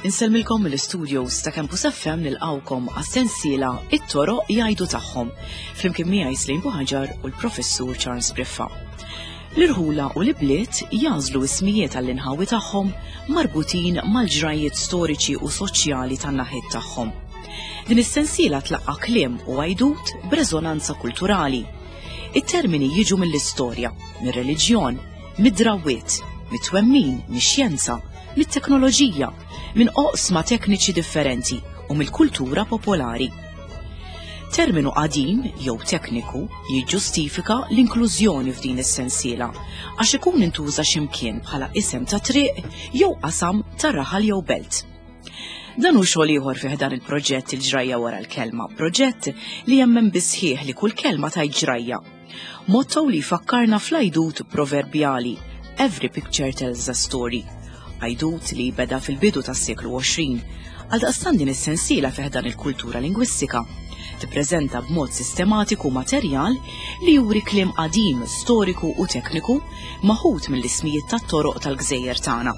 Insellmilkom mill-studios ta' Campus FM nilqawkom għas-sensiela It-toroq jgħidu tagħhom flimkien miegħi Slim Buħaġar u l-Professur Charles Briffa. L-irħula u l-ibliet jagħżlu ismijiet għall-inħawi tagħhom marbutin mal-ġrajjiet storiċi u soċjali tan-naħiet tagħhom. Din is-sensiela tlaqqa' kliem u għajdut b'reżonanza kulturali. It-termini jiġu mill-istorja, mir-reliġjon, mid-drawwiet, mit-twemmin, mix-xjenza, mit-teknoloġija, minn oqsma tekniċi differenti u mill-kultura popolari. Terminu qadim jew tekniku jiġġustifika l-inklużjoni f'din is-sensiela għax ikun intuża x'imkien bħala isem ta' triq jew qasam ta' raħal jew belt. Dan hu xogħol ieħor fi ħdan il-proġett Il-Ġrajja Wara l-Kelma, proġett li jemmen bis-sħiħ li kull kelma tgħid ġrajja. Motto li jfakkarna fl-għajdut proverbjali Every picture tells a story. Għajdut li beda fil-bidu tas-seklu 20. Għaldaqstant din is-sensiela fi ħdan il-kultura lingwistika tippreżenta b'mod sistematiku materjal li juri kliem qadim, storiku u tekniku maħud mill-ismijiet tat-toroq tal-gżejjer tagħna.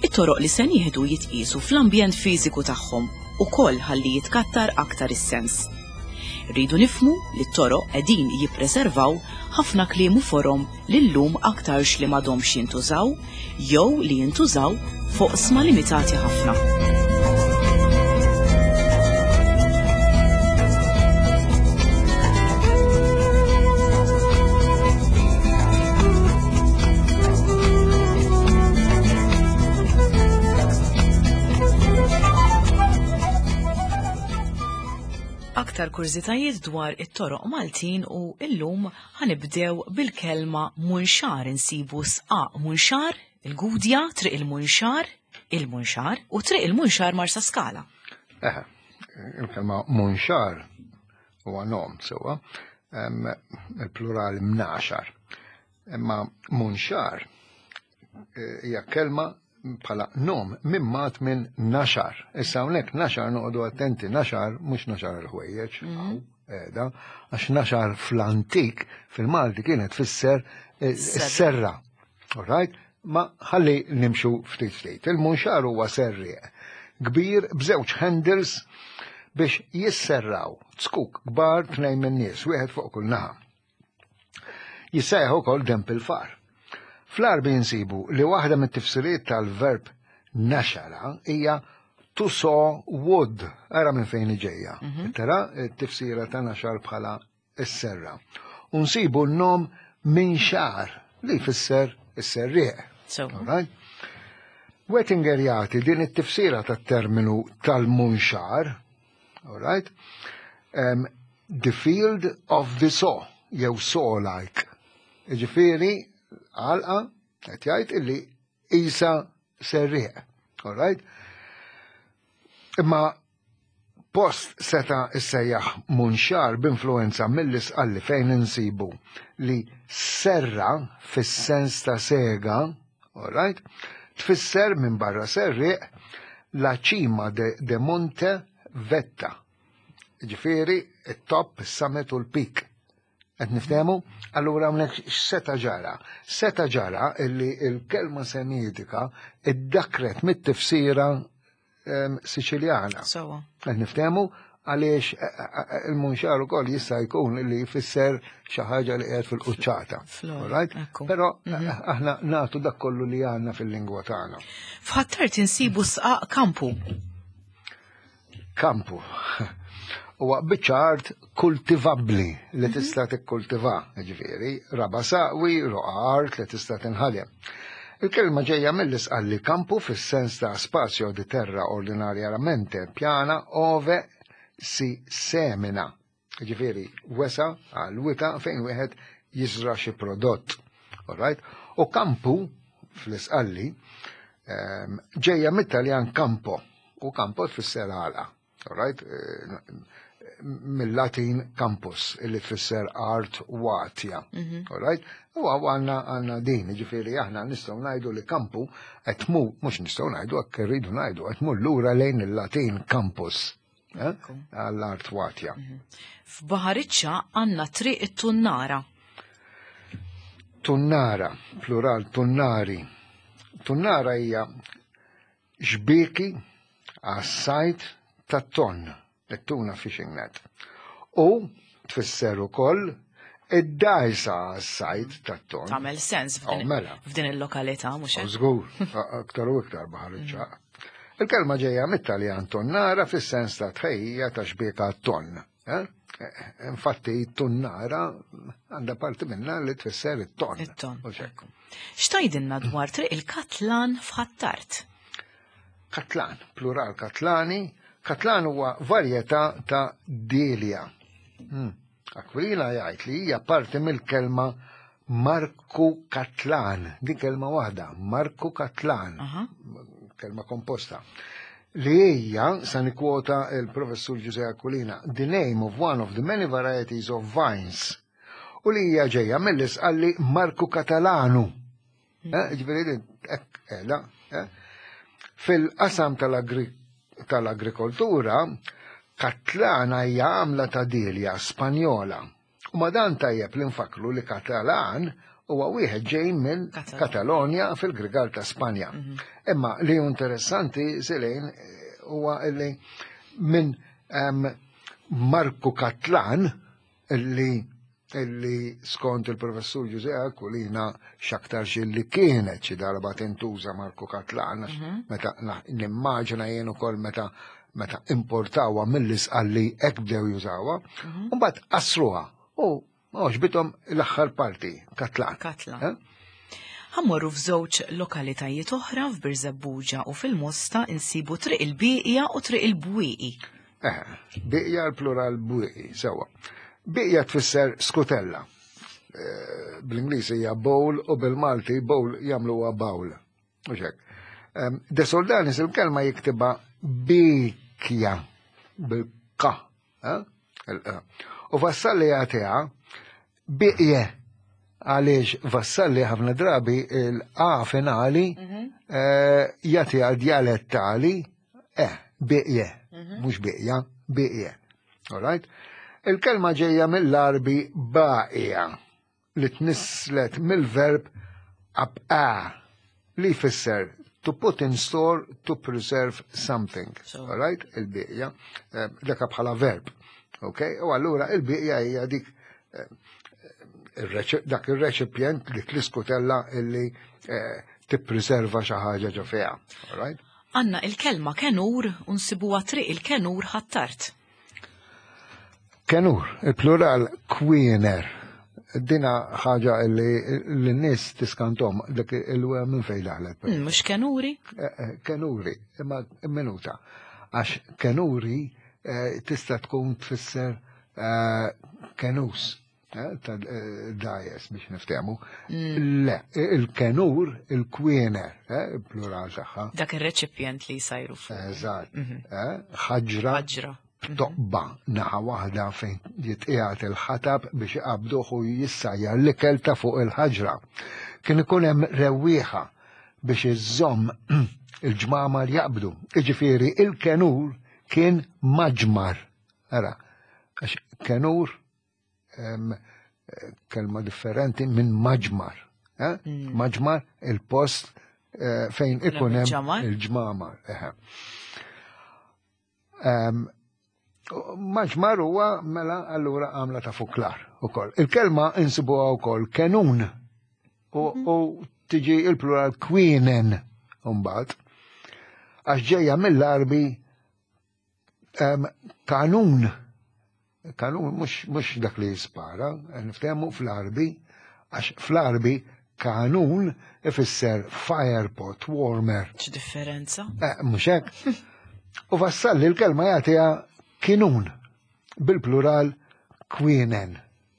It-toroq li se nieħdu jitqiesu fl-ambjent fiżiku tagħhom ukoll ħalli jitkattar aktar is-sens. Irridu nifhmu li t-toroq qegħdin jippreservaw ħafna kliem u forom li llum aktarx li m'għadhomx jintużaw jew li jintużaw f'oqsma limitati ħafna. Aktar kurżitajiet dwar it-toroq Maltin u illum ħanibdew bil-kelma munxar insibu sqaq munxar, il-Gudja, Triq il-Munxar, il-Munxar u Triq il-Munxar Marsaskala. Eħe, il-kelma munxar huwa nom sewwa, il-plural mnaxar. Imma munxar eh, hija kelma bħala nom mimmat minn naxar. Issa hawnhekk naxar noqogħdu attenti, naxar mhux naxar il-ħwejjeġ, mhm. qiegħda, għax naxar fl-antik fil-Malti kienet tfisser eh, serra. All right? Ma ħalli nimxu ftit ftit. Il-munxar huwa serrieq kbir b'żewġ handles biex jisserraw zkuk kbar tnejn minn nies, wieħed fuq kull naħa. Jissejjaħ ukoll demp il-far. Fl-Għarbi nsibu li waħda mit-tifsiriet tal-verb naxara hija to saw wood, ara minn fejn ġejja. Mhm. Tara t-tifsira ta' naxar bħala s-serra. U nsibu n-nom minn xar li jfisser is-serrieq. Right? Wettinger jagħti din it-tifsira tat-terminu tal-munxar, all right? Um, the field of the saw, jew saw-like. Ġifieri, għalqa, qed jgħid illi isa serrieq. All right? Imma post seta issejjaħ munxar b'influenza mill-isqalli fejn insibu li serra fis-sens ta' sega, all right? Tfisser minn barra serrieq la cima de, de monte vetta. Ġifieri, it-top, is-summit u l-peak. Qed niftehmu? Allura hawnhekk x'seta' ġara? Seta' ġara illi l-kelma semitika iddakret mit-tifsira ehm, Siċiljana. Sewa. Qed niftehmu għaliex eh, eh, eh, il-munxar ukoll jista' jkun li jfisser xi ħaġa li qiegħed fil-quċċata. Right? Però mhm. aħna nagħtu dak kollu li għandna fil-lingwa tagħna. F'Ħattart insibu sqaq kampu. Kampu. Huwa biċċa art kultivabbli li mhm. tista' tikkultiva, ġifieri, raba saqwi, roqa art li tista' tinħadem. Il-kelma ġejja mill-isqalli kampu fis-sens ta' spazio di terra ordinarjamente piana ove si semina. Ġifieri, wesa għal wita fejn wieħed jiżra xi prodott. Alright? U kampu fl-isqalli ehm, ġejja mit-Taljan campo u campo tfisser għalqa. Alright? Eh, mill-Latin campus illi tfisser art watja. Mhm. Alright? U għanna għanna din, ġifieri aħna nistgħu ngħidu li kampu qed mhux nistgħu ngħidu hekk irridu ngħidu qed lura lejn il-Latin campus. Eh, għall-art watja. Mhm. F'Baħariċċa għandna triq it-Tunnara. Tunnara, plural tunnari. Tunnara hija xbieki għas-sajt tat-tonn, it-tuna fishing net. U tfisser ukoll id-dajsa għas-sajt tat-tonn. Tagħmel sens oh, mela. f'din il-lokalità mhux hekk. Żgur, aktar u iktar baħar iċ-ċaq. Mm. Il-kelma ġejja mit-Taljan tonnara fis-sens ta' tħejjija ta' xbieka tonn. Eh? Infatti, tunnara għandha parti minna li tfisser it-ton. It-ton. X'tajdilna dwar triq il-Katlan f'Ħattart? Katlan, plural Katlani. Katlan huwa varjetà ta' Delia. Hmm. Aquilina jgħid li hija parti mill-kelma Marku Katlan, din kelma waħda, Marku Katlan, kelma komposta. Li hija, sa nikwota il-professur Giuseppe Aquilina, the name of one of the many varieties of vines. U li hija ġejja mill-isqalli Marku Katalanu. Hmm. Eh, ġifieri hekk qiegħda. Eh. Fil-qasam tal-agrikoltura, Katlana hija għamla ta' dilja Spanjola. U ma dan tajjeb li nfakru li Katalan huwa wieħed ġej minn Katalonja fil-Grigal ta' Spanja. Mhm. Imma li hu interessanti Silejn huwa li minn Marku Katlan illi illi skont il-professur Ġuże Aquilina x'aktarx illi kienet xi darba tintuża Marku Katlan, mhm. meta nimmaġina jien ukoll meta meta importawha mill-isqalli hekk bdew jużawha, mhm. u mbagħad qasruha u għoġbithom l-aħħar parti, Katlan. Katlan. Eh? Ħammorru f'żewġ lokalitajiet oħra f'Birżebbuġa u fil-Mosta insibu Triq il-Bieqja u Triq il-Bwieqi. Eh, bieqja l-plural bwieqi, sewa. Bieqja tfisser skutella. Eh, Bl-Ingliż hija bowl u bil-Malti bowl jagħmluha bawl. U hekk. De Soldanis il-kelma jiktibha bikja bil-ka. Eh? U Vassalli jagħtiha biqje għaliex Vassalli ħafna drabi il-A finali mhm. eh, jagħtiha djalettali eh biqje, mhm. mhux biqja, biqje. All right? Il-kelma ġejja mill-Arbi baqija li tnisslet mill-verb abqa li jfisser to put in store to preserve something. So. All right? Il-biqja, eh, daka bħala verb. Ok? U allura il-biqja hija dik eh, dak il-reċipjent dik l-iskutella illi eh, tippreserva xi ħaġa ġo fiha. All right? Għanna il-kelma kenur u nsibuha triq il-kenur ħattart. Kenur, il-plural kwiener. Dina ħaġa li l-nies tiskantom dik il-we minn fejn daħlet. Mm, mhux kenuri? Eh, eh, kenuri, imma minuta. Għax kenuri eh, tista' tkun tfisser kenus. Eh, ta' eh, dajes biex niftehmu. Mm. Le, il-kenur, il-kwiener, eh, il-plural tagħha. Dak ir-reċipjent li jsajru fuq. Eżatt. Mhm. Ħaġra. Ħaġra. Mhm. Toqba naħa waħda fejn jitqiegħed il-ħatab biex iqabduh u jissajjar l-ikel ta' fuq il-ħaġra. Kien ikun hemm rewwieħa biex iżżomm il-ġmamar jaqbdu. Iġifieri il-kenur kien maġmar. Ara, għax kenur kelma differenti minn maġmar. Eh? Mm. Maġmar il-post eh, fejn ikun hemm il-ġmamar. Maġmar huwa mela allura għamla ta' fuklar ukoll. Il-kelma insibuha wkoll kenun u mhm. tiġi il-plural kwienen mbagħad għax ġejja mill-arbi Kanun, kanun mhux dak li jispara, niftehmu fl-Arbi, għax fl-Arbi kanun ifisser firepot, warmer. X'differenza? Eh, mhux hekk. U vassalli l-kelma jagħtiha kinun bil-plural kwienen.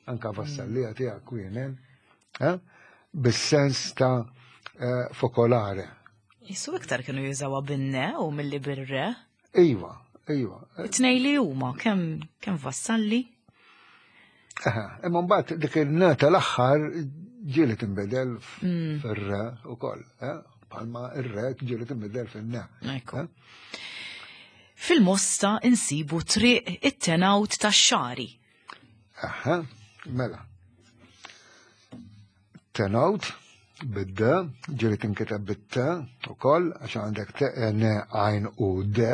Anka vassalli mm. jagħtiha kwienen, eh? bis-sens ta' eh, fokolare. Jisu iktar kienu jużawha bin-ne u milli bir-re. Iva, iva. It-tnej li huma kemm kemm vassalli? Imma mbagħad dik il-nata l-aħħar ġieli tinbidel mm. fir-re ukoll, eh? bħalma ir-re ġieli tinbidel fin-ne. Eh? Fil-Mosta insibu triq it-tenawt tax-xagħri. Aha, mela. Tenawt bid-D, ġieli tinkiteb bit-T ukoll, għax għandek T, N, għajn u D,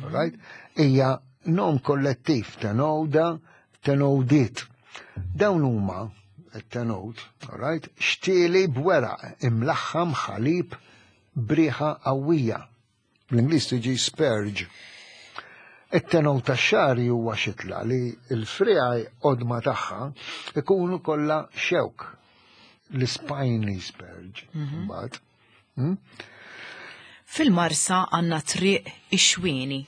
right? Hija nom kollettiv, tenowda, tenowdiet. Dawn huma it-tenowd, right? Xtieli b'weraq imlaħħam ħalib b'riħa qawwija. Bl-Ingliż tiġi spurge. It-tenol tax-xagħri huwa xitla li l-friegħi qodma tagħha ikunu kollha xewk. L-spiny spurge, mhm. mbagħad. Fil-Marsa għandna triq ix-xwieni.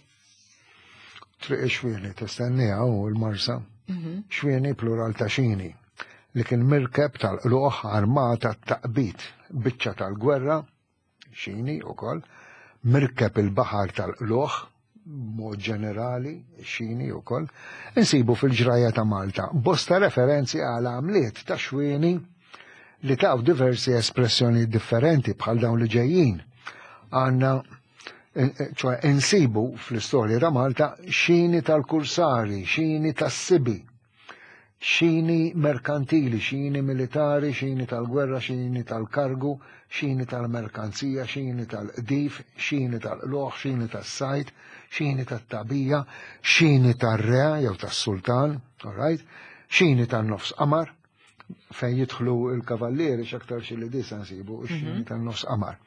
Triq ix-xwieni tistenniha u l-Marsa. Mhm. Xwieni plural ta' xini li kien mirkeb tal-qluħ armata taqbit biċċa tal-gwerra xini wkoll, mirkeb il-baħar tal-qlugħ b'mod ġenerali, xini wkoll, insibu fil-ġrajja ta' Malta bosta referenzi għal għamliet ta' xwieni li taw diversi espressjoni differenti bħal dawn li ġejjin. Għanna, ċoħe, insibu fl-istorja ta' Malta xini tal-kursari, xini tas-sibi, Xini merkantili, xini militari, xini tal-gwerra, xini tal-kargu, xini tal-merkanzija, xini tal-qdif, xini tal-qlugħ, xini tas-sajd, xini tat-tagħbija, xini tar-re jew tas-sultan, all right? Xini tan-nofs qamar, fejn jidħlu l-kavallieri x'aktar xi li disa nsibu xini mhm. tan-nofs qamar.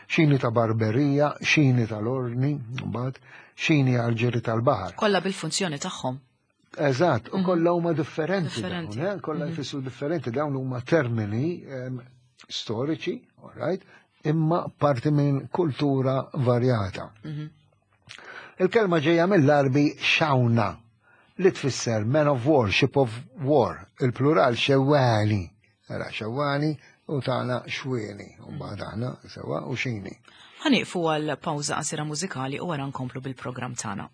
Xini ta' barberija, xini tal-ordni, mbagħad xini għal-ġiri tal-baħar. Kollha bil-funzjoni tagħhom. Eżatt, u mhm. kollha huma differenti. Differenti. Eh? Kollha mhm. jfissru differenti, dawn huma termini storiċi, all right, imma parti minn kultura varjata. Mhm. Il-kelma ġejja mill-Arbi xawna li tfisser man of war, ship of war, il-plural xewani. Ara xewani u tagħna xwieni, u mbagħad aħna sewa u xini. Ħa nieqfu għal pawża qasira mużikali u wara nkomplu bil-programm tagħna.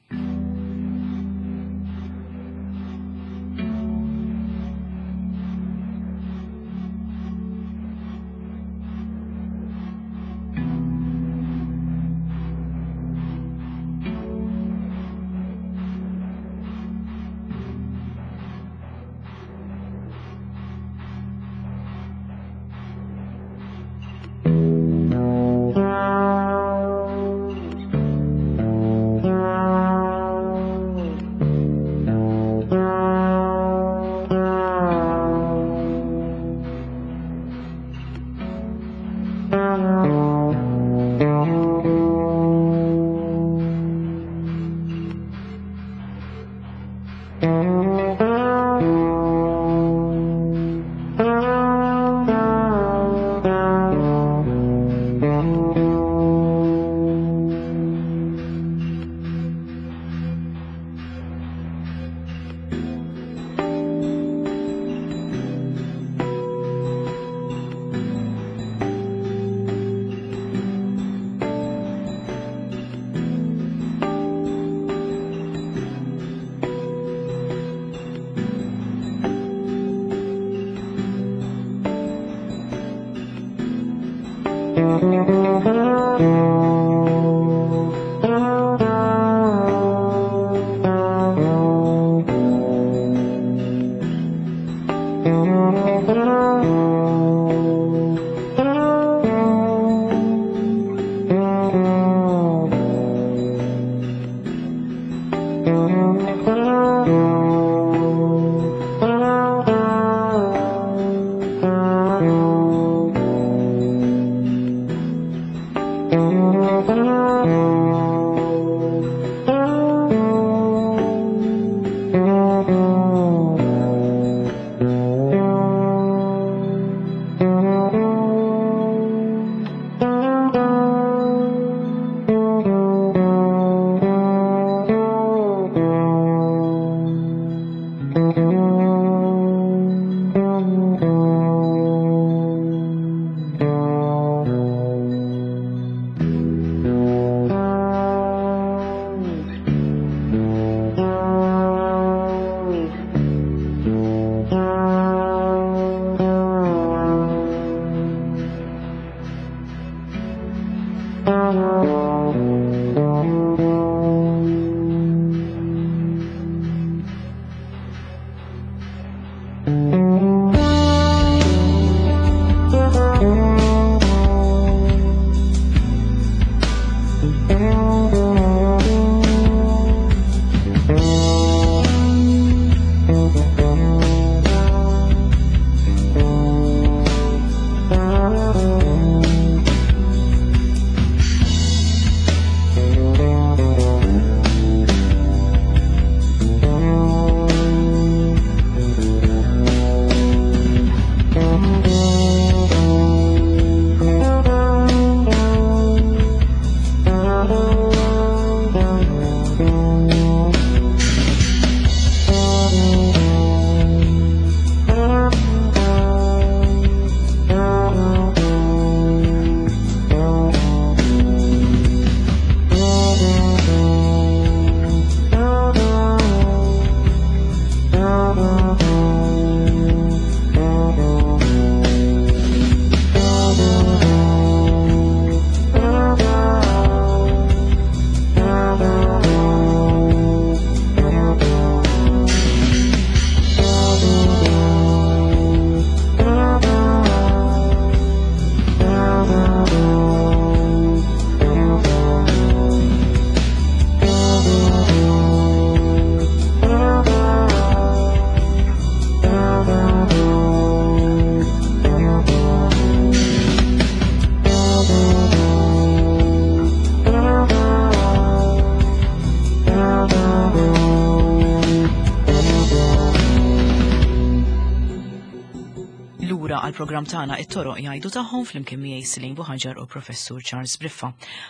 lura għal programm tagħna it-toroq jgħidu tagħhom flimkien miegħi Celine Buħaġar u Professur Charles Briffa.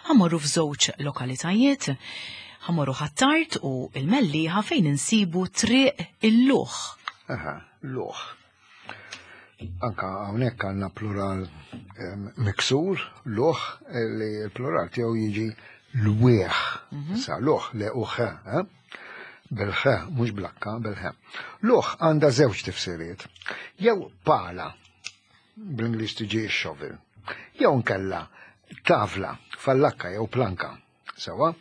Ħammorru f'żewġ lokalitajiet, ħammorru Ħ'Attard u il-Mellieħa fejn insibu Triq il-Luħ. Aha, luħ. Anka hawnhekk għandna plural miksur, luħ, li l-plural tiegħu jiġi lwieħ. Sa luħ le uħ, eh? Bil-ħ, mhux blakka, bil-ħ. Luħ għandha żewġ tifsiriet. Jew pala, bl-Ingliż tiġi shovel, jew nkella tavla, fallakka jew planka. Sewa,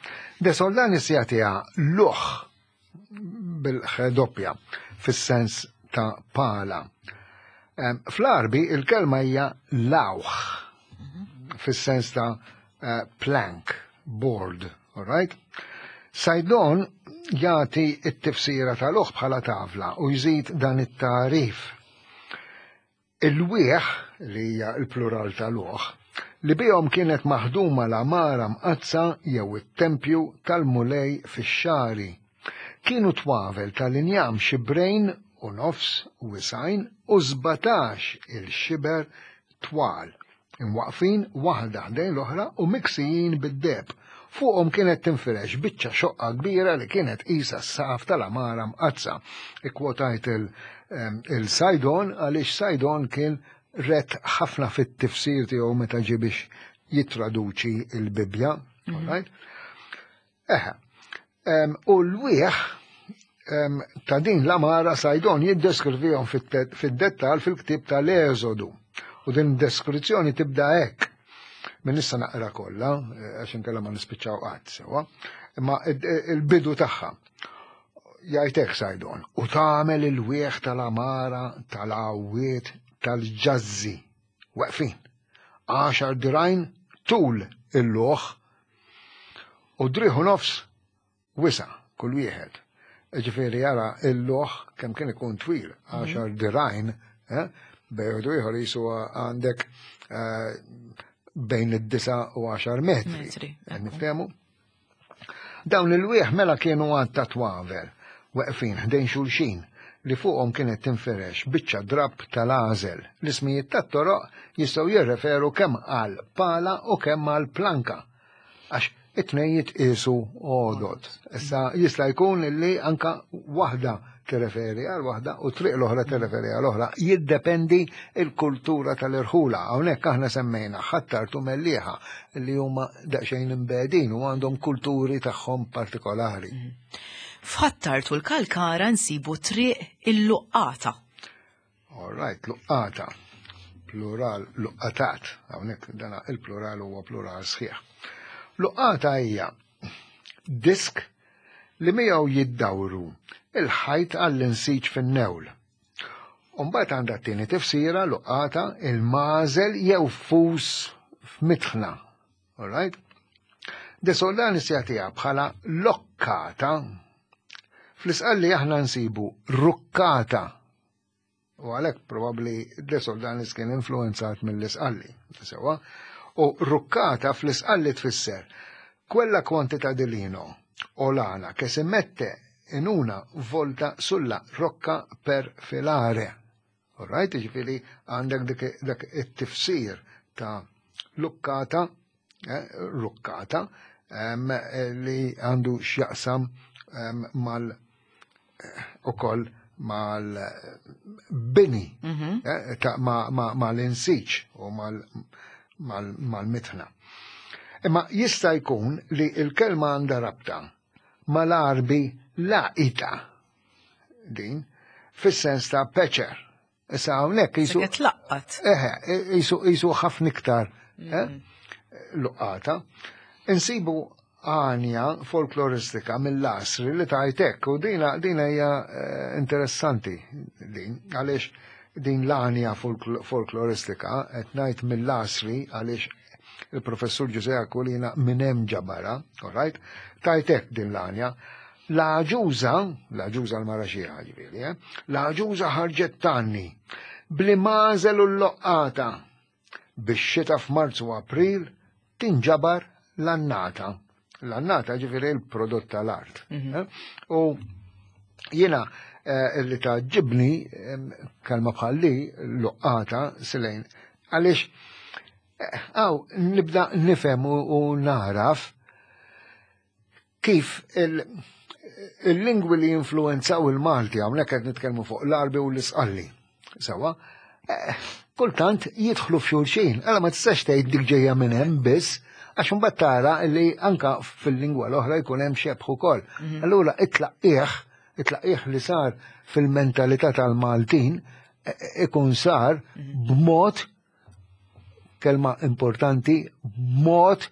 De Soldanis jagħtiha luħ bil-ħ doppja fis-sens ta' pala. Fl-Arbi il-kelma hija lawħ fis-sens ta' plank, board, all right? Sajdon jagħti t-tifsira tal-uħ bħala tavla u jżid dan it-tagħrif. Il-wieħ, li hija l-plural tal-uħ, li bihom kienet maħduma l-għamara mqaddsa jew it-tempju tal-Mulej fix-xagħri. Kienu twavel tal-injam xibrejn u nofs wisgħin u 17 il-xiber twal, imwaqqfin waħda ħdejn l-oħra u miksijin bid-deheb. Fuqhom kienet tinfirex biċċa xoqqa kbira li kienet qisha s-saqaf tal-għamara mqaddsa. Ikkwotajt il-Sajdon għaliex Sajdon kien rett ħafna fit-tifsir tiegħu meta ġie biex jittraduċi l-Bibbja. Mhm. Right? Eħe. U l-wieħ ta' din l-amara Sajdon jiddeskrivihom fid-dettal fil-ktieb tal-Eżodu. U din deskrizzjoni tibda hekk. Min issa naqra kollha, eh, għax inkella ma nispiċċaw qatt sewa, imma il-bidu tagħha. Jgħidek Sajdon, u tagħmel il-wieħ tal-amara tal-għawiet tal-ġazzi. Weqfin. Għaxar dirajn tul il-luħ U driħu nofs wisa' kull wieħed. Ġifieri jara il-loħ kemm kien ikun twil, mhm. għaxar dirajn, eh, bejn u ieħor jisu għandek eh, bejn id-disa u għaxar metri. Niftehmu? Dawn il-wieħ mela kienu għad ta' twavel, weqfin ħdejn xulxin, li fuqhom kienet tinferex biċċa drapp tal-għażel. L-ismijiet tat-toroq jistgħu jirreferu kemm għal pala u kemm għal planka. Għax it-tnejn jitqiesu għodod. Issa jista' jkun li anka waħda tirreferi għal waħda u triq l-oħra tirreferi għal oħra. Jiddependi il-kultura tal-irħula. Hawnhekk aħna semmejna Ħ'Attard u Mellieħa li huma daqsxejn imbegħdin u għandhom kulturi tagħhom partikolari. Mhm. F'Ħ'Attard u l-Kalkara nsibu triq il-Luqqata. All right, luqqata. Plural, luqqatat. Hawnhekk dana il-plural huwa plural sħiħ. Luqqata hija disk li miegħu jiddawru il-ħajt għall-insiġ fin-newl. Umbagħad għandha t-tieni tifsira luqqata il-mażel jew fus f'mitħna. All right? De Soldanis jagħtiha bħala lokkata. Fl-isqalli aħna nsibu rukkata. U għalhekk probabbli De Soldanis kien influenzat mill-isqalli. Sewa. U rukkata fl-isqalli tfisser quella quantità di lino o lana che si mette in una volta sulla rocca per filare. Alright, ġifiri għandek dak it-tifsir ta' lukkata, eh, rukkata, li għandu x'jaqsam mal eh, ukoll mal-bini, mhm. eh, mal-insiċ u mal-mitħna. Imma jista' jkun li l-kelma għandha rabta mal-arbi laqita din fis-sens ta' peċer. Issa hawnhekk jisu. Qed laqqat. Eħe, jisu ħafna iktar eh, mm. luqqata. Insibu għanja folkloristika mill-asri li tajtek u dina dina hija eh, interessanti din għaliex din l-għanja folkloristika qed ngħid mill-asri għaliex il-professur Ġuże Aquilina minn hemm ġabara, all right? Tajtek din l-għanja. L-għaġuża, l-għaġuża l-mara xieħa ġifieri, eh? L-għaġuża ħarġet tanni bli mażel u l-loqqata biex xita f'Marzu April tinġabar l-annata. L-annata ġifieri l-prodott tal-art. Mhm. Eh? U jiena eh, li taġġibni kelma bħalli luqqata silejn għaliex eh, għaw nibda nifhem u naraf kif il-lingwi li influenzaw il-Malti hawnhekk qed nitkellmu fuq l-Arbi u l-Isqalli. Sawa, eh, kultant jidħlu f'xulxin, għala ma tistax tgħid dik ġejja minn hemm biss, għax imbagħad tara li anka fil-lingwa l-oħra jkun hemm xebħ ukoll. Mhm. Allura it-tlaqqieħ, it-tlaqqieħ li sar fil-mentalità tal-Maltin eh, eh, ikun sar mhm. b'mod kelma importanti, b'mod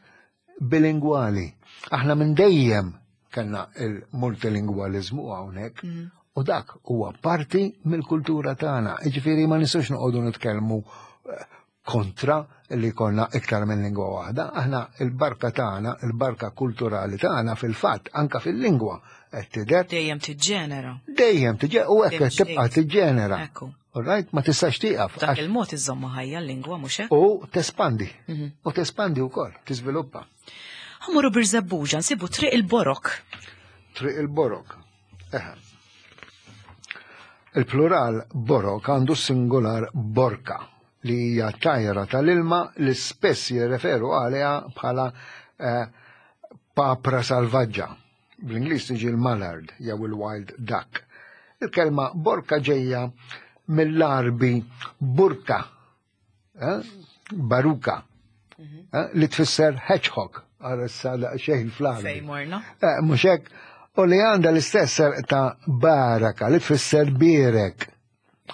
bilingwali. Aħna minn dejjem kellna il-multilingwalizmu hawnhekk mm. u dak huwa parti mill-kultura tagħna. Jiġifieri ma nistgħux noqogħdu nitkellmu eh, kontra li konna iktar minn lingwa waħda. Aħna il-barka tagħna, il-barka kulturali tagħna fil-fatt anka fil-lingwa qed tidher. Dejjem tiġġenera. Dejjem tiġġenera u hekk qed tibqa' tiġġenera. Ekku. All right, ma tistax tieqaf. Dak il-mod iżomma ħajja l-lingwa mhux hekk? U tespandi. Mhm. U tespandi wkoll, tiżviluppa. Ħamuru Birżebbuġa nsibu Triq il-Borok. Triq il-Borok. Eħe. Il-plural borok għandu singular borka li hija tajra tal-ilma li spess jirreferu għaliha bħala eh, papra salvaġġa. Bl-Ingliż tiġi l-mallard jew il-wild duck. Il-kelma borka ġejja mill-Għarbi burka, eh? baruka, mhm. eh? li tfisser hedgehog, għara issa xejn fl-Għarbi. Fejn morna? Eh, mhux hekk, u li għandha l-istess ta' baraka li tfisser birek.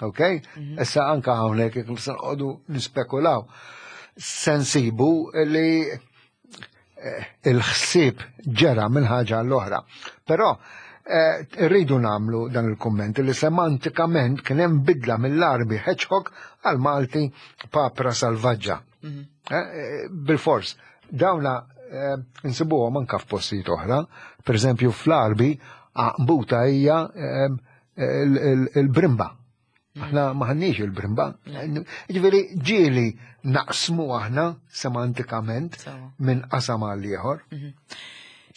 Ok? Mhm. Issa anka hawnhekk jekk nistgħu noqogħdu nispekulaw. Sensibu li eh, il-ħsieb ġera minn ħaġa l-oħra. Però eh, rridu namlu dan il-komment li semantikament kien hemm bidla mill-Arbi hedgehog għal Malti papra salvaġġa. Mhm. Eh, bil-fors, dawna nsibuhom anka f'postijiet oħra, per eżempju fl-Arbi buta hija il-brimba. Aħna maħniex il-brimba. Ġifieri ġieli naqsmu aħna semantikament minn qasam għal ieħor. Mhm.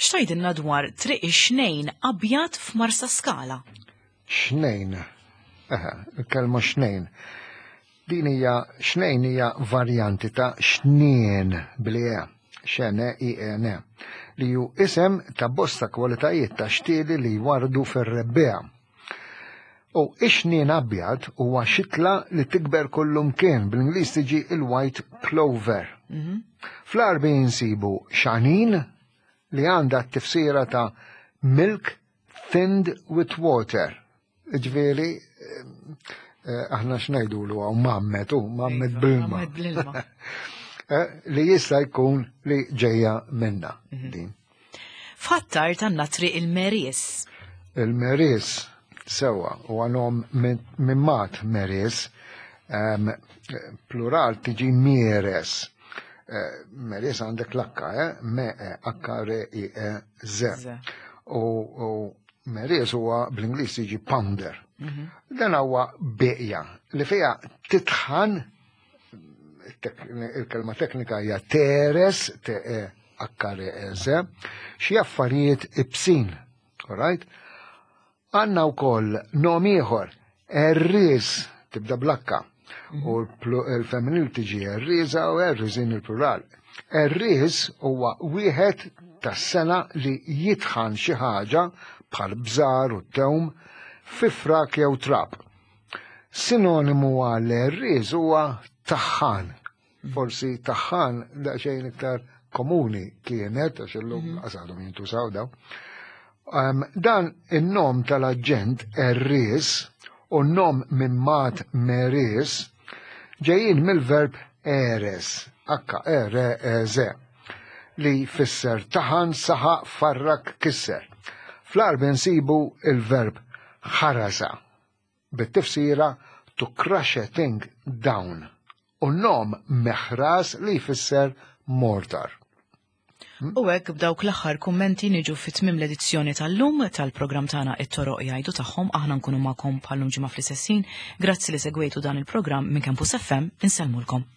X'tgħidilna dwar triq ix-xnejn abjad f'Marsa Skala? Xnejn. Eħe, il-kelma xnejn. Din hija xnejn hija varjanti ta' xnien bl-e, xene i e n, li hu isem ta' bosta kwalitajiet ta' xtieli li jwarrdu fir-rebbiegħa. U ix-xnien abjad huwa xitla li tikber kullumkien, bl-Ingliż tiġi il-white clover. Mhm. Fl-Għarbi insibu xanin li għandha t-tifsira ta' milk thinned with water. Ġveri, eh, aħna x'ngħidulu hawn mammet u mammet iva, bl-ilma. bl-ilma. Eh, li jista' jkun li ġejja minna mhm. din. F'Ħattar tanna triq il-Meris. Il-Meris sewa u għanom minn mat Meris, plural tiġi Mieres. Eh, Meris għandek l-akka, eh? Me, e, akka, re, i, e, z. U Meries huwa bl-Ingliż jiġi pounder. Mhm. Dan huwa beqja li fiha titħan il-kelma teknika hija teres, te e h r e z, xi affarijiet ibsin, alright? Għandna wkoll nom ieħor, erriż, tibda blakka, u l-femminil tiġi erriża u erriżin il-plural. Erriż huwa wieħed tas-sena li jitħan xi ħaġa bħal bżar u tewm fi frak jew trab. Sinonimu għal erriż huwa taħħan. Forsi taħħan daqsxejn iktar komuni kienet, għax illum mhm. għasadhom jintużaw daw. Um, dan in-nom tal-aġent erris u n-nom minn mat meris ġejjin mill-verb eres, h e r e z, li jfisser taħan, saħaq, farrak, kisser. Fl-Għarbi nsibu il-verb ħarasa bit-tifsira to crush a thing down u n-nom meħras li jfisser mortar. Hmm? U hekk b'dawk l-aħħar kummenti niġu fi tmiem l-edizzjoni tal-lum tal-programm tagħna it-toroq jgħidu tagħhom aħna nkunu magħkom bħallum ġimgħa fl-istessin. Grazzi li segwejtu dan il-programm minn Campus FM insellmulkom.